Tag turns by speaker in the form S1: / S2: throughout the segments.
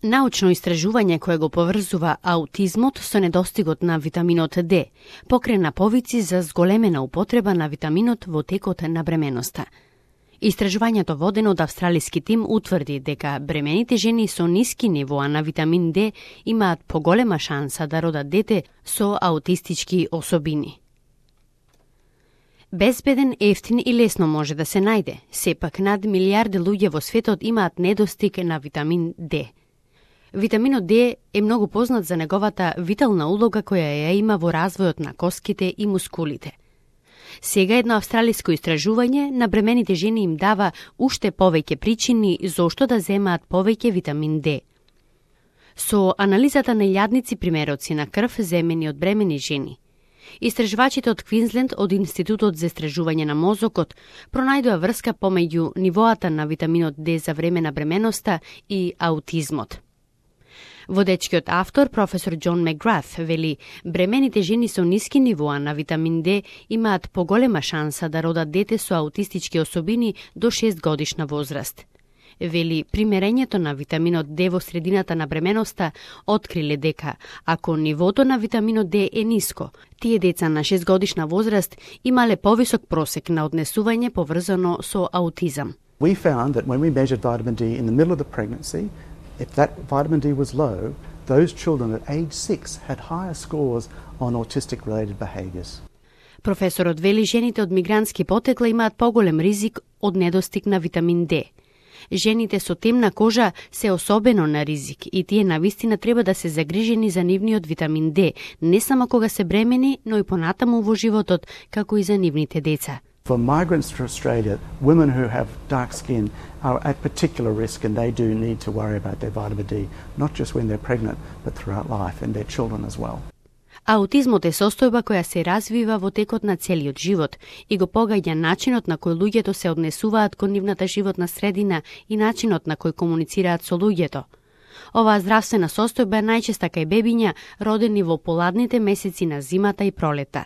S1: Научно истражување кое го поврзува аутизмот со недостигот на витаминот D, покрена повици за зголемена употреба на витаминот во текот на бременоста. Истражувањето водено од австралиски тим утврди дека бремените жени со ниски нивоа на витамин D имаат поголема шанса да родат дете со аутистички особини. Безбеден, ефтин и лесно може да се најде, сепак над милијарди луѓе во светот имаат недостиг на витамин D. Витаминот D е многу познат за неговата витална улога која ја има во развојот на коските и мускулите. Сега едно австралиско истражување на бремените жени им дава уште повеќе причини зошто да земаат повеќе витамин D. Со анализата на илјадници примероци на крв земени од бремени жени, истражувачите од Квинсленд од Институтот за истражување на мозокот пронајдоа врска помеѓу нивоата на витаминот D за време на бременоста и аутизмот. Водечкиот автор, професор Џон Меграф, вели бремените жени со ниски нивоа на витамин D имаат поголема шанса да родат дете со аутистички особини до 6 годишна возраст. Вели, примерењето на витаминот D во средината на бременоста откриле дека, ако нивото на витаминот D е ниско, тие деца на 6 годишна возраст имале повисок просек на однесување поврзано со аутизам.
S2: We found that when we measured vitamin D in the middle of the pregnancy, if that vitamin D was low, those children at age 6 had higher scores on autistic-related behaviours.
S1: Професорот вели жените од мигрантски потекла имаат поголем ризик од недостиг на витамин D. Жените со темна кожа се особено на ризик и тие навистина треба да се загрижени за нивниот витамин D, не само кога се бремени, но и понатаму во животот, како и за нивните деца.
S2: For migrants to Australia, women who have dark skin are at particular risk and they do need to worry about their vitamin D, not just when they're pregnant, but throughout life and their children as well.
S1: Аутизмот е состојба која се развива во текот на целиот живот и го погаѓа начинот на кој луѓето се однесуваат кон нивната животна средина и начинот на кој комуницираат со луѓето. Оваа здравствена состојба е најчеста кај бебиња родени во поладните месеци на зимата и пролета.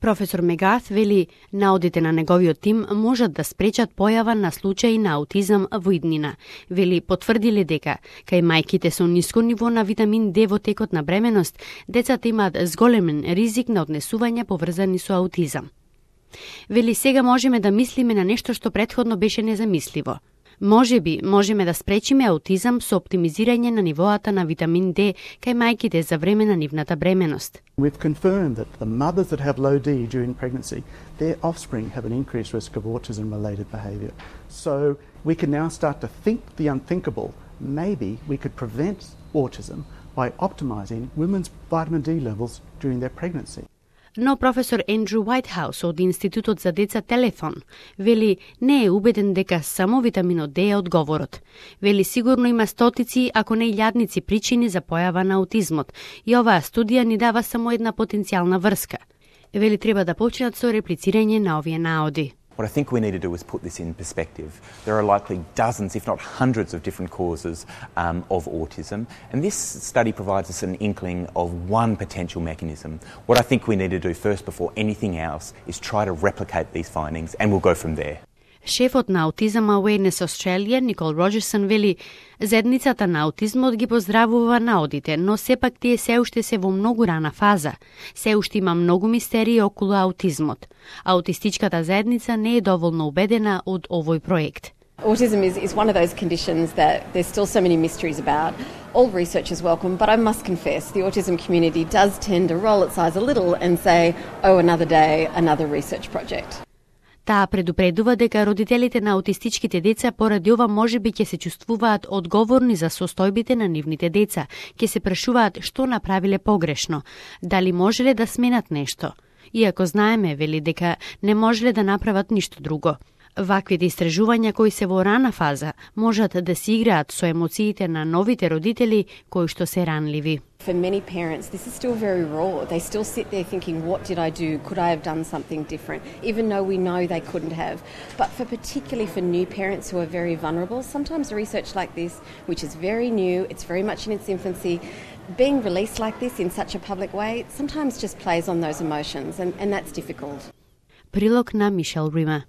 S1: Професор Мегарт вели, наодите на неговиот тим можат да спречат појава на случаи на аутизам во иднина. Вели, потврдиле дека, кај мајките со ниско ниво на витамин D во текот на бременост, децата имаат зголемен ризик на однесувања поврзани со аутизам. Вели, сега можеме да мислиме на нешто што претходно беше незамисливо. Можеме да спречиме аутизам со оптимизирање на нивоата на витамин D кај мајките за време на нивната бременост.
S2: We've confirmed that the mothers that have low D during pregnancy, their offspring have an increased risk of autism-related behaviour. So we can now start to think the unthinkable. Maybe we could prevent autism by optimising women's vitamin D levels during their pregnancy.
S1: Но професор Ендрю Уајтхаус од Институтот за деца Телефон вели не е убеден дека само витаминот D е одговорот. Вели сигурно има стотици, ако не илјадници причини за појава на аутизмот и оваа студија ни дава само една потенцијална врска. Вели треба да почнат со реплицирање на овие наоди.
S3: What I think we need to do is put this in perspective. There are likely dozens, if not hundreds, of different causes of autism, and this study provides us an inkling of one potential mechanism. What I think we need to do first, before anything else, is try to replicate these findings, and we'll go from there.
S1: Шефот на Autism Awareness Australia, Никол Роџерсон, вели, заедницата на аутизмот ги поздравува наодите, но сепак тие се уште се во многу рана фаза. Се уште има многу мистерии околу аутизмот. Аутистичката заедница не е доволно убедена од овој проект.
S4: Autism is one of those conditions that there's still so many mysteries about. All research is welcome, but I must confess, the autism community does tend to roll its eyes a little and say, oh, another day, another research project.
S1: Таа предупредува дека родителите на аутистичките деца поради ова можеби ќе се чувствуваат одговорни за состојбите на нивните деца, ќе се прашуваат што направиле погрешно, дали можеле да сменат нешто. Иако знаеме, вели, дека не можеле да направат ништо друго. Ваквите истражувања кои се во рана фаза можат да се играат со емоциите на новите родители кои што се ранливи.
S4: For many parents, this is still very raw. They still sit there thinking, what did I do? Could I have done something different? Even though we know they couldn't have. But particularly for new parents who are very vulnerable, sometimes research like this, which is very new, it's very much in its infancy, being released like this in such a public way, sometimes just plays on those emotions, and that's difficult.
S1: Прилог на Мишел Рима.